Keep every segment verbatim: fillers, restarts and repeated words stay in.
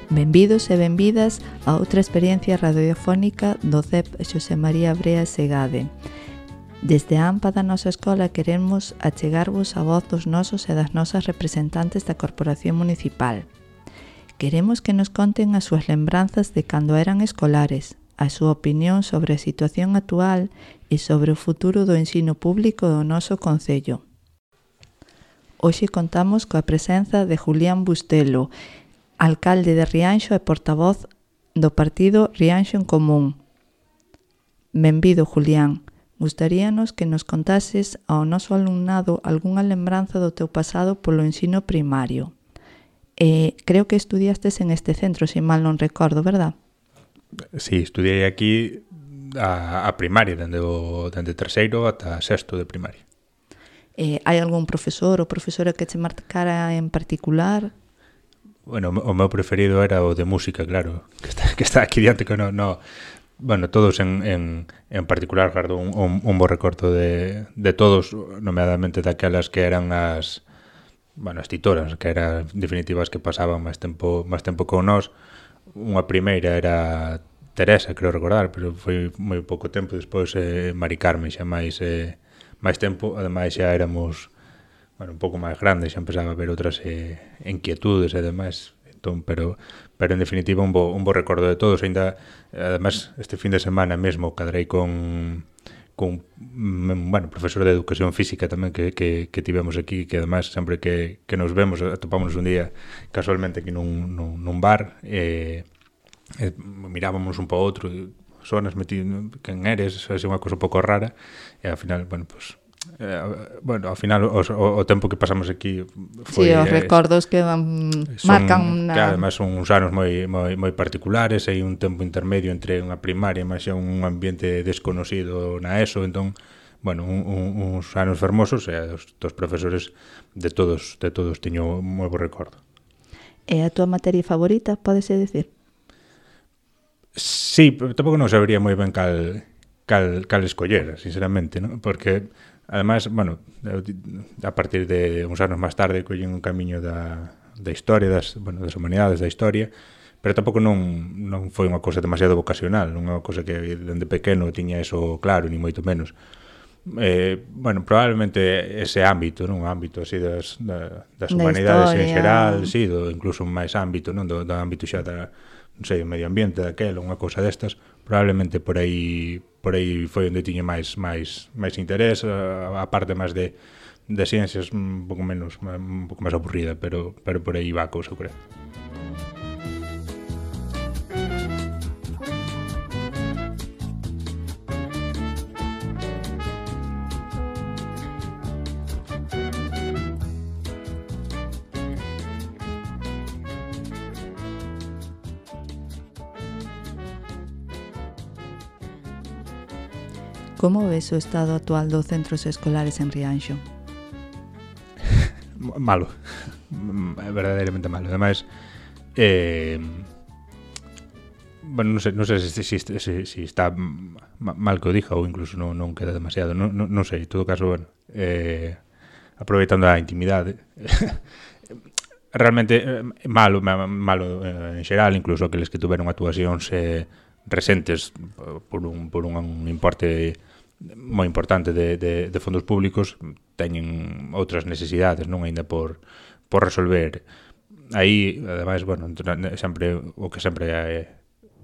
Benvidos e benvidas a outra experiencia radiofónica do C E P Xosé María Brea Segade. Desde a AMPA da nosa escola queremos achegarvos a voz dos nosos e das nosas representantes da Corporación Municipal. Queremos que nos conten as súas lembranzas de cando eran escolares, a súa opinión sobre a situación actual e sobre o futuro do ensino público do noso concello. Hoxe contamos coa presenza de Julián Bustelo, alcalde de Rianxo e portavoz do partido Rianxo en Común. Benvido, Julián. Gustaríanos que nos contases ao noso alumnado algunha lembranza do teu pasado polo ensino primario. Eh, creo que estudiastes en este centro, se mal non recordo, verdad? Sí, estudiei aquí a, a primaria, dende o dende terceiro ata sexto de primaria. Eh, hai algún profesor ou profesora que te marcara en particular? Bueno, o meu preferido era o de música, claro, que está, que está aquí diante, que no, no, bueno, todos en, en, en particular guardo un, un, un bo recordo de, de todos, nomeadamente daquelas que eran as, bueno, as titoras, que eran definitivas que pasaban máis tempo, máis tempo con nós. Unha primeira era Teresa, creo recordar, pero foi moi pouco tempo, despois eh, Mari Carmen, xa máis, eh, máis tempo, ademais xa éramos... bueno, un pouco máis grande, xa empezaba a haber outras eh, inquietudes e demais, entón, pero, pero en definitiva un bo, un bo recordo de todos, ainda, además, este fin de semana mesmo cadrei con, con bueno, profesor de educación física tamén que, que, que tivemos aquí, que además sempre que, que nos vemos, atopámonos un día casualmente aquí nun, nun, nun bar, e eh, mirábamos un po outro, sonas metido, quen eres, é unha cosa un pouco rara, e ao final, bueno, pues, Eh, bueno, ao final o, o, o tempo que pasamos aquí foi, sí, os recordos que um, son, marcan una... que además son uns anos moi, moi, moi particulares, hai un tempo intermedio entre unha primaria e máis un ambiente desconocido na ESO, entón, bueno, un, un, uns anos fermosos e os, os profesores de todos de todos teño moi bo recordo. E a túa materia favorita, pódese decir? Sí, pero tampouco non sabería moi ben cal, cal, cal escoller, sinceramente, ¿no? Porque además, bueno, a partir de uns anos máis tarde collen un camiño da, da historia, das, bueno, das humanidades da historia, pero tampouco non, non foi unha cousa demasiado vocacional, non é unha cousa que dende pequeno tiña eso claro, ni moito menos. Eh, bueno, probablemente ese ámbito, non, o ámbito así das, da, das humanidades en xeral, sí, do, incluso máis ámbito, non, do, do ámbito xa da, non sei, o medio ambiente daquela, unha cousa destas, probablemente por aí por aí foi onde tiña máis máis máis interés, a, a parte máis de de ciencias un pouco menos un pouco máis aburrida, pero pero por aí va a cousa, creo. Como ves o estado actual dos centros escolares en Rianxo? Malo, verdadeiramente malo. Ademais, eh, bueno, non sei, non sei se, si, si, si, si está mal que o diga ou incluso non, non queda demasiado, non, non, non sei, en todo caso, bueno, eh, aproveitando a intimidade, realmente eh, malo, malo eh, en xeral, incluso aqueles que tuveron actuacións eh, recentes por un, por un importe moi importante de, de, de fondos públicos, teñen outras necesidades, non aínda por, por resolver. Aí, ademais, bueno, sempre o que sempre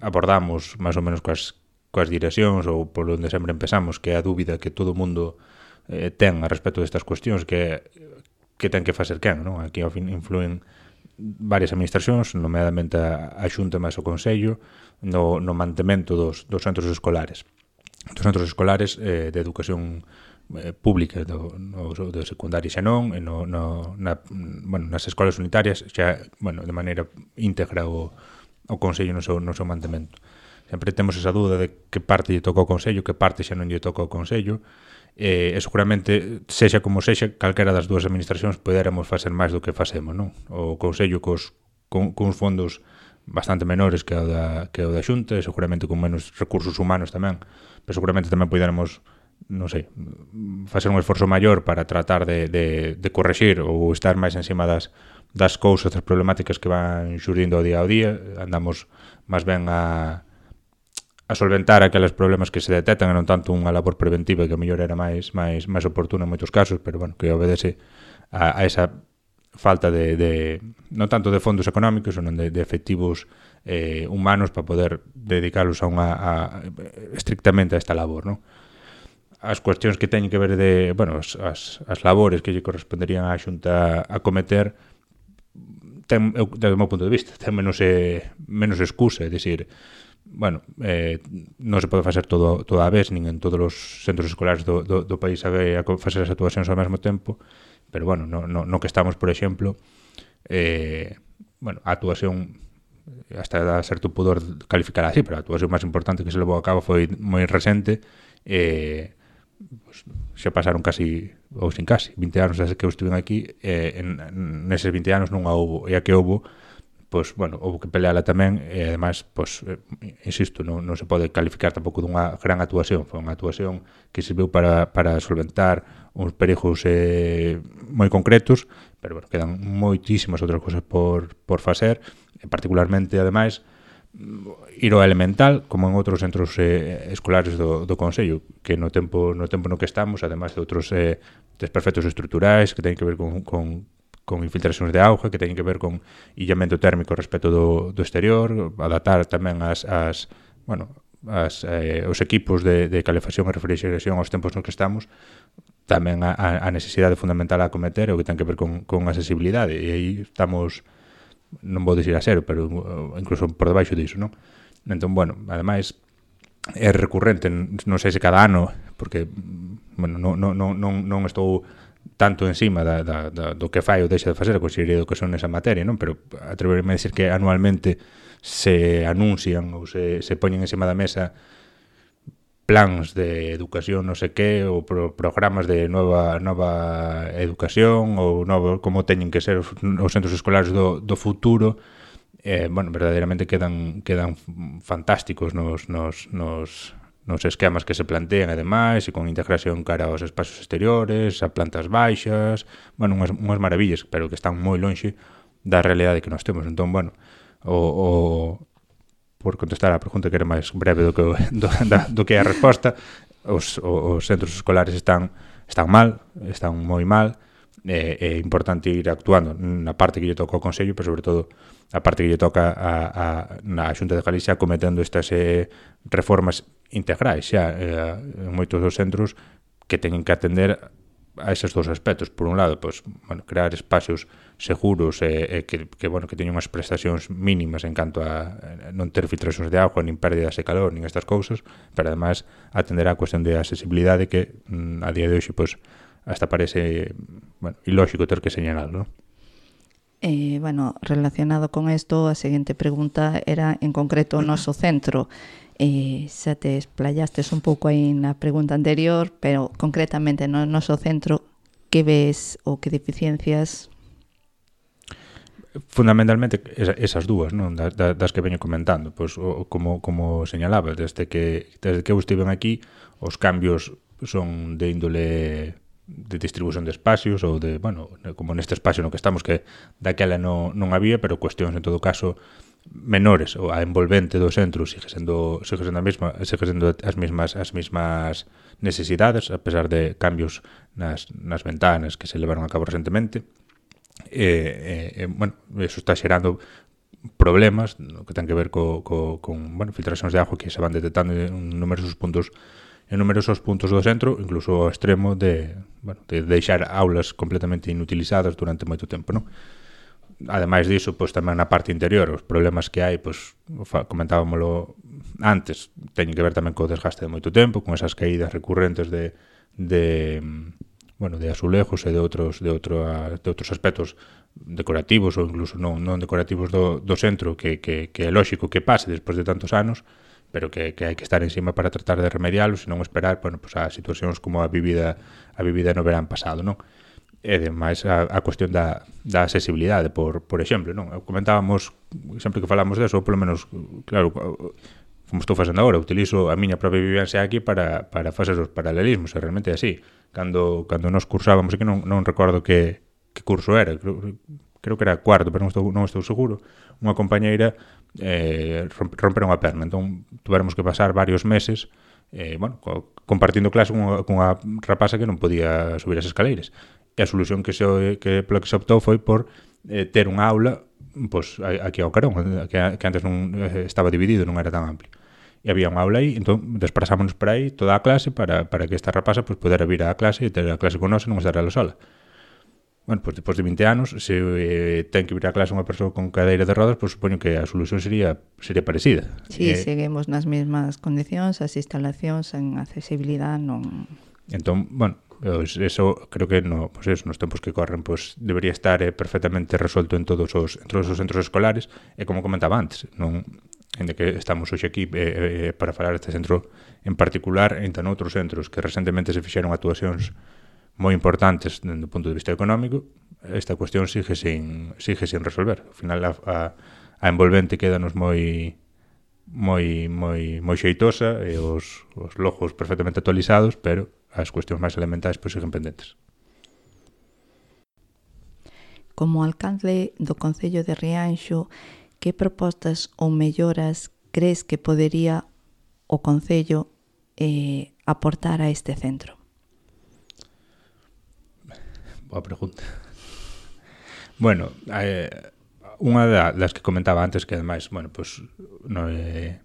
abordamos máis ou menos coas, coas direccións ou por onde sempre empezamos, que é a dúbida que todo o mundo eh, ten a respecto destas cuestións, que que ten que facer quen, non? Aquí ao fin influen varias administracións, nomeadamente a, a Xunta máis o Consello, no, no mantemento dos, dos centros escolares. Dos centros escolares eh, de educación eh, pública, do, no, do secundaria xa non, e no, no, na, bueno, nas escolas unitarias xa, bueno, de maneira íntegra o, o Consello no seu, no seu mantemento. Sempre temos esa dúda de que parte lle toca ao Consello, que parte xa non lle toca ao Consello, e, e seguramente, sexa como sexa, calquera das dúas administracións poderamos facer máis do que facemos, non? O Consello cos, con, con fondos bastante menores que o da, que o da Xunta, e seguramente con menos recursos humanos tamén, pero seguramente tamén poderemos, non sei, facer un esforzo maior para tratar de, de, de correxir ou estar máis encima das, das cousas, das problemáticas que van xurdindo ao día ao día, andamos máis ben a a solventar aqueles problemas que se detectan e non tanto unha labor preventiva que a mellor era máis máis máis oportuna en moitos casos, pero bueno, que obedece a, a esa falta de, de non tanto de fondos económicos, senón de, de efectivos eh, humanos para poder dedicarlos a unha a, estrictamente a esta labor, non? As cuestións que teñen que ver de, bueno, as, as, as labores que lle corresponderían á Xunta a cometer ten, eu, desde o meu punto de vista, ten menos eh, menos excusa, é dicir, bueno, eh, non se pode facer todo, todo a vez, nin en todos os centros escolares do, do, do país a, a facer as actuacións ao mesmo tempo, pero bueno, no, no, no que estamos, por exemplo, eh, bueno, a actuación hasta da certo pudor calificar así, pero a actuación máis importante que se levou a cabo foi moi recente, eh, pues, xa pasaron casi, ou sin casi, vinte anos desde que eu estive aquí, eh, en, neses vinte anos non a houbo, e a que houbo, pois, bueno, houve que peleala tamén, e ademais, pois, eh, insisto, non, non se pode calificar tampouco dunha gran actuación, foi unha actuación que serviu para, para solventar uns perigos eh, moi concretos, pero, bueno, quedan moitísimas outras cousas por, por facer, e particularmente, ademais, ir ao elemental, como en outros centros eh, escolares do, do Consello, que no tempo no tempo no que estamos, ademais de outros eh, desperfectos estruturais que teñen que ver con, con con infiltracións de auga, que teñen que ver con illamento térmico respecto do, do exterior, adaptar tamén as, as bueno, as, eh, os equipos de, de calefacción e refrigeración aos tempos nos que estamos, tamén a, a necesidade fundamental a acometer o que ten que ver con, con accesibilidade, e aí estamos, non vou dicir a cero, pero incluso por debaixo disso, non? Entón, bueno, ademais, é recurrente, non sei se cada ano, porque, bueno, non, non, non, non estou tanto encima da, da, da, do que fai ou deixa de facer a Consellería de Educación nesa materia, non? Pero atreverme a decir que anualmente se anuncian ou se, se poñen encima da mesa plans de educación non sei que, ou pro, programas de nova nova educación, ou novo, como teñen que ser os, os centros escolares do, do futuro, eh, bueno, verdadeiramente quedan, quedan fantásticos nos... nos, nos nos esquemas que se plantean e demais, e con integración cara aos espacios exteriores, a plantas baixas, bueno, unhas, unhas maravillas, pero que están moi lonxe da realidade que nós temos. Entón, bueno, o, o por contestar a pregunta que era máis breve do que, do, da, do que é a resposta, os, os centros escolares están, están mal, están moi mal, é, é importante ir actuando na parte que lle toca ao Consello, pero sobre todo a parte que lle toca a, a, na Xunta de Galicia cometendo estas eh, reformas integrais xa eh, en moitos dos centros que teñen que atender a esos dos aspectos. Por un lado, pues, bueno, crear espacios seguros e eh, eh, que, que, bueno, que teñen unhas prestacións mínimas en canto a eh, non ter filtracións de auga, nin pérdidas de calor, nin estas cousas, pero ademais atender a cuestión de accesibilidade que mm, a día de hoxe pues, hasta parece bueno, ilóxico ter que señalar, ¿no? Eh, bueno, relacionado con isto, a seguinte pregunta era en concreto o noso centro. Eh, xa te explayastes un pouco aí na pregunta anterior, pero concretamente no noso centro, que ves ou que deficiencias? Fundamentalmente esas dúas, non? Das, das que veño comentando, pois, o, como, como señalaba, desde que, desde que eu estive aquí, os cambios son de índole de distribución de espacios ou de, bueno, como neste espacio no que estamos que daquela non, non había, pero cuestións en todo caso menores, ou a envolvente do centro sigue sendo sigue sendo a mesma, sigue sendo as mesmas as mesmas necesidades, a pesar de cambios nas, nas ventanas que se levaron a cabo recentemente. E, e, bueno, eso está xerando problemas no que ten que ver co, co, con, bueno, filtracións de auga que se van detectando en numerosos puntos en numerosos puntos do centro, incluso ao extremo de, bueno, de deixar aulas completamente inutilizadas durante moito tempo, non? Ademais diso, pois tamén na parte interior, os problemas que hai, pois comentábamolo antes, teñen que ver tamén co desgaste de moito tempo, con esas caídas recurrentes de de bueno, de azulejos e de outros de outro de outros aspectos decorativos ou incluso non non decorativos do do centro que que que é lóxico que pase despois de tantos anos, pero que, que hai que estar encima para tratar de remedialos e non esperar, bueno, pues a situacións como a vivida a vivida no verán pasado, non? E ademais a, a cuestión da, da accesibilidade, por, por exemplo, non? Comentábamos, sempre que falamos deso, ou polo menos, claro, como estou facendo agora, utilizo a miña propia vivencia aquí para, para facer os paralelismos, e realmente é así. Cando, cando nos cursábamos aquí, non, non recordo que, que curso era, creo que era cuarto, pero non estou, non estou seguro, unha compañeira eh, romperon a perna, entón tuveramos que pasar varios meses eh, bueno, co, compartindo clase cunha, cunha rapaza que non podía subir as escaleiras. E a solución que se, que, polo que se optou foi por eh, ter unha aula pois, aquí ao carón, que, que antes non eh, estaba dividido, non era tan amplio. E había unha aula aí, entón desprazámonos por aí toda a clase para, para que esta rapaza pues, pudera vir á clase e ter a clase con nós e non estar ela sola. Bueno, pues despois de vinte anos, se eh, ten que vir á clase unha persoa con cadeira de rodas, pues supoño que a solución sería sería parecida. Sí, eh, seguimos nas mesmas condicións, as instalacións en accesibilidade non... Entón, bueno, pues eso creo que no, pues eso, nos tempos que corren pues debería estar eh, perfectamente resuelto en todos os en todos os centros escolares e como comentaba antes, non en que estamos hoxe aquí eh, eh, para falar deste centro en particular e en outros centros que recentemente se fixeron actuacións moi importantes dende o punto de vista económico, esta cuestión sigue sin sigue sin resolver. Ao final a, a, a envolvente quédanos moi moi moi moi xeitosa e os, os logos perfectamente actualizados, pero as cuestións máis elementais pois siguen pendentes. Como alcalde do Concello de Rianxo, que propostas ou melloras crees que podería o Concello eh, aportar a este centro? Boa pregunta. Bueno, eh, unha das que comentaba antes que ademais, bueno, pues no eh,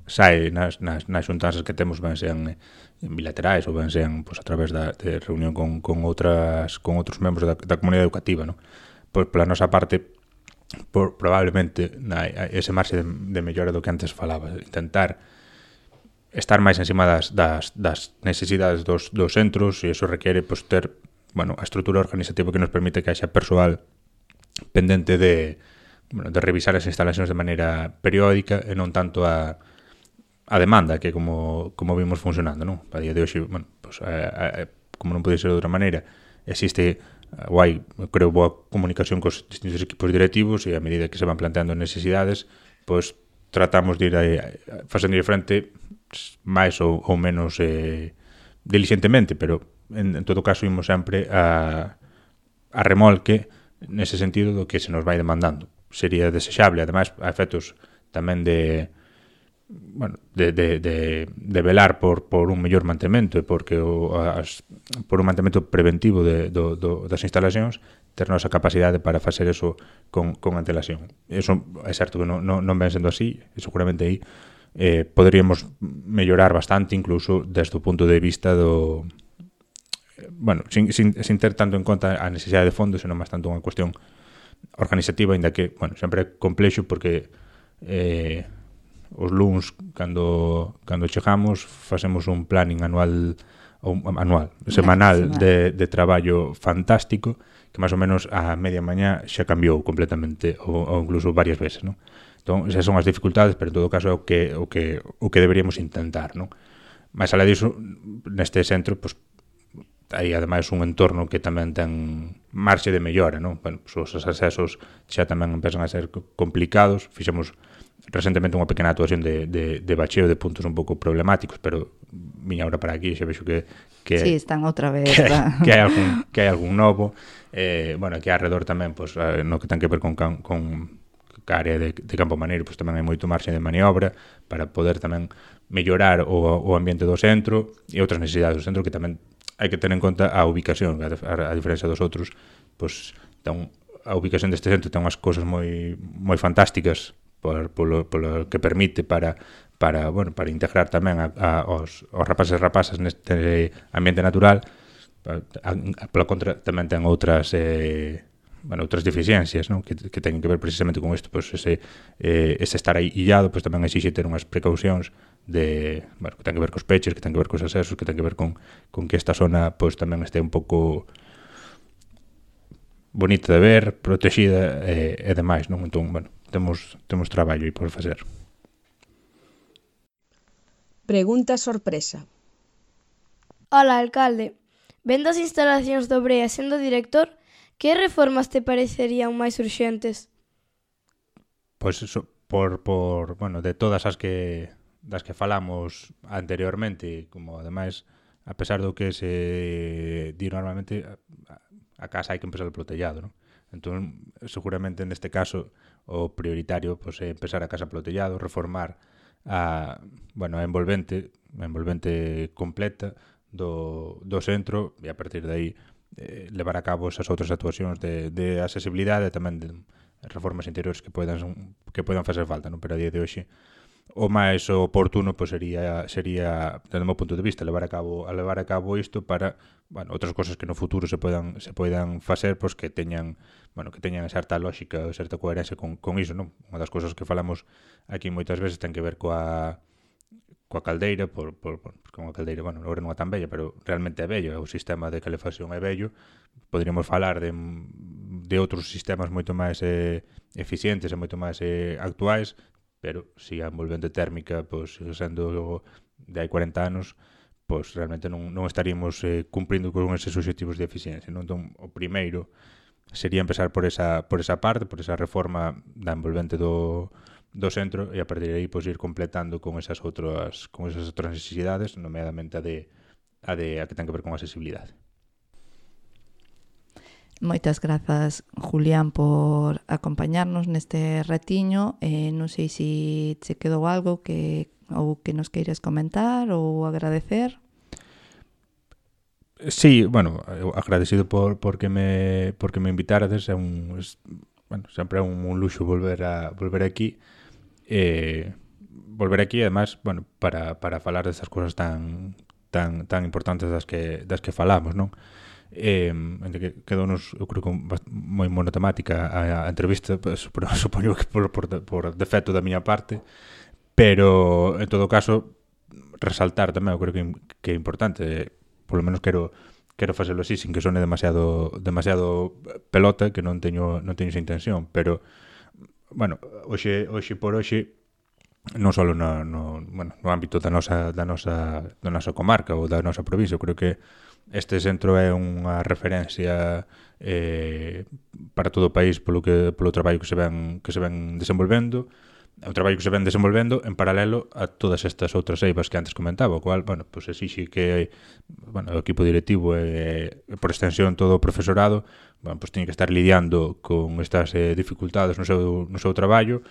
sai nas, nas, nas xuntanzas que temos ben sean en bilaterais ou ben sean pues, a través da, de reunión con, con outras con outros membros da, da comunidade educativa, ¿no? Pois pola nosa parte por, probablemente na, ese marxe de, de mellora do que antes falaba, intentar estar máis encima das, das, das necesidades dos, dos centros e iso requiere pues, ter bueno, a estrutura organizativa que nos permite que haxa persoal pendente de, bueno, de revisar as instalacións de maneira periódica e non tanto a, a demanda que como, como vimos funcionando, non? A día de hoxe, bueno, pues, a, a, como non pode ser de outra maneira, existe guai, creo, boa comunicación cos distintos equipos directivos e a medida que se van planteando necesidades, pois tratamos de ir a, a, facendo de frente máis ou, ou menos eh, diligentemente, pero en, en todo caso imos sempre a, a remolque nese sentido do que se nos vai demandando. Sería desexable, ademais, a efectos tamén de bueno, de, de, de, de velar por, por un mellor mantemento e porque o, as, por un mantemento preventivo de, do, do, das instalacións, ter nosa capacidade para facer eso con, con antelación. Eso é certo que non, non, non ven sendo así, e seguramente aí eh, poderíamos mellorar bastante, incluso desde o punto de vista do bueno, sin, sin, sin ter tanto en conta a necesidade de fondos, senón máis tanto unha cuestión organizativa, ainda que, bueno, sempre é complexo porque eh, os luns, cando, cando chegamos, facemos un planning anual, ou anual, semanal de, de traballo fantástico, que máis ou menos a media mañá xa cambiou completamente, ou, ou incluso varias veces, non? Entón, esas son as dificultades, pero en todo caso é o que, o que, o que deberíamos intentar, non? Mais alá disso, neste centro, pues, hai ademais un entorno que tamén ten marxe de mellora, non? Bueno, pues, os accesos xa tamén empezan a ser complicados, fixemos recentemente unha pequena actuación de, de, de bacheo de puntos un pouco problemáticos, pero viña ahora para aquí, xa vexo que, que sí, están outra vez que, que, hai algún, que hai algún novo eh, bueno, aquí alrededor tamén pues, no que ten que ver con, con a área de, de Campo Maneiro, pues, tamén hai moito marxe de maniobra para poder tamén mellorar o, o ambiente do centro e outras necesidades do centro que tamén hai que ter en conta a ubicación, a, a, a diferencia dos outros, pues, ten, a ubicación deste centro ten unhas cousas moi moi fantásticas por, polo, polo que permite para para, bueno, para integrar tamén a, a, os, os rapaces e rapazas neste ambiente natural. A, a, pola contra tamén ten outras eh, bueno, outras deficiencias, non? Que, que teñen que ver precisamente con isto, pues, ese, eh, ese estar aí illado, pues, tamén exixe ter unhas precaucións de, bueno, que ten que ver cos peches, que ten que ver cos accesos, que ten que ver con, con que esta zona pues, tamén este un pouco bonita de ver, protexida e, e demais, non? Entón, bueno, temos, temos traballo aí por facer. Pregunta sorpresa. Ola, alcalde. Vendo as instalacións do Brea sendo director, que reformas te parecerían máis urxentes? Pois eso, por, por, bueno, de todas as que das que falamos anteriormente, como ademais, a pesar do que se di normalmente, a, a casa hai que empezar polo tellado, non? Entón, seguramente neste caso o prioritario pois, é empezar a casa polo tellado, reformar a, bueno, a envolvente, a envolvente completa do, do centro e a partir de aí eh, levar a cabo esas outras actuacións de, de accesibilidade e tamén de reformas interiores que podan, que podan facer falta, non? Pero a día de hoxe o máis oportuno pois, sería, sería, desde o meu punto de vista, levar a cabo a levar a cabo isto para, bueno, outras cosas que no futuro se podan se poidan facer, pois que teñan, bueno, que teñan certa lógica ou certa coherencia con con iso, non? Unha das cousas que falamos aquí moitas veces ten que ver coa coa caldeira, por, por, por con a caldeira, bueno, agora non é tan bella, pero realmente é bello, o sistema de calefacción é bello. Poderíamos falar de de outros sistemas moito máis eh, eficientes e moito máis eh, actuais, pero se si a envolvente térmica, pois, sendo de hai cuarenta anos, pois realmente non, non estaríamos eh, cumprindo con eses objetivos de eficiencia, non? Entón, o primeiro sería empezar por esa, por esa parte, por esa reforma da envolvente do, do centro e a partir de aí pois, ir completando con esas outras con esas outras necesidades, nomeadamente a de a de a que ten que ver con a accesibilidade. Moitas grazas, Julián, por acompañarnos neste ratiño. Eh, non sei se se quedou algo que ou que nos queires comentar ou agradecer. Sí, bueno, agradecido por porque me porque me invitarades, é un es, bueno, sempre é un, un luxo volver a volver aquí. Eh, volver aquí además, bueno, para para falar destas cousas tan tan tan importantes das que das que falamos, non? Eh, que quedounos, eu creo que moi monotemática a, a entrevista, pues, supoño que por, por, por defecto da miña parte, pero en todo caso resaltar tamén, eu creo que, que é importante, polo menos quero quero facelo así sin que sone demasiado demasiado pelota, que non teño non teño esa intención, pero bueno, hoxe hoxe por hoxe non só no, no, bueno, no ámbito da nosa da nosa da nosa comarca ou da nosa provincia, eu creo que este centro é unha referencia eh, para todo o país polo que polo traballo que se ven que se ven desenvolvendo, é un traballo que se ven desenvolvendo en paralelo a todas estas outras eivas que antes comentaba, o cual, bueno, pues exixe que bueno, o equipo directivo e, e por extensión todo o profesorado, bueno, pues teñen que estar lidiando con estas eh, dificultades no seu no seu traballo,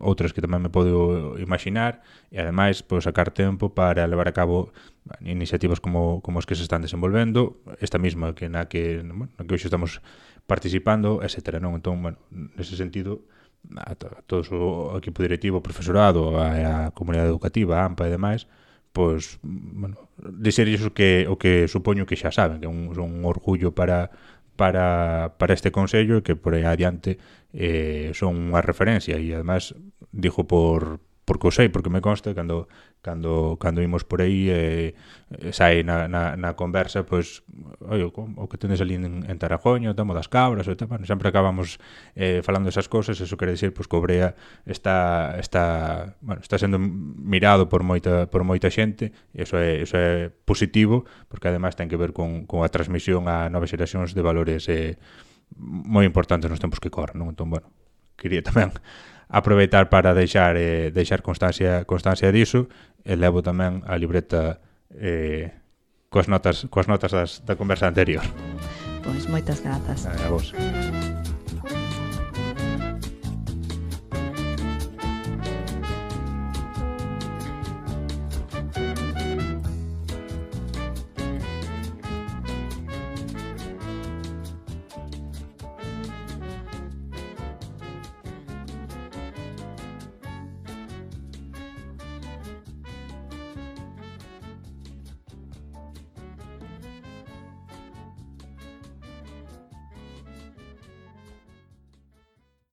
outras que tamén me podo imaginar e ademais pois, sacar tempo para levar a cabo bueno, iniciativas como, como as que se están desenvolvendo, esta mesma que na que, bueno, na que hoxe estamos participando, etcétera. Non? Entón, bueno, nese sentido, a, to, a todo o equipo directivo, o profesorado, a, a comunidade educativa, a AMPA e demais, pois, bueno, dizer iso que, o que supoño que xa saben, que é un, un orgullo para para, para este consello e que por aí adiante eh, son unha referencia e además digo por porque o sei, porque me consta cando cando cando imos por aí eh, sai na, na, na conversa pois, oi, o, o que tendes ali en, en Tarajoño, o tamo das cabras e tal, bueno, sempre acabamos eh, falando esas cosas, eso quere decir pois, que o Brea está está, bueno, está sendo mirado por moita por moita xente e iso é, iso é positivo porque ademais ten que ver con, con a transmisión a novas xeracións de valores eh, moi importantes nos tempos que corren, non? Entón, bueno, quería tamén aproveitar para deixar eh, deixar constancia constancia diso e levo tamén a libreta eh, coas notas coas notas das, da conversa anterior. Pois moitas grazas. A vos.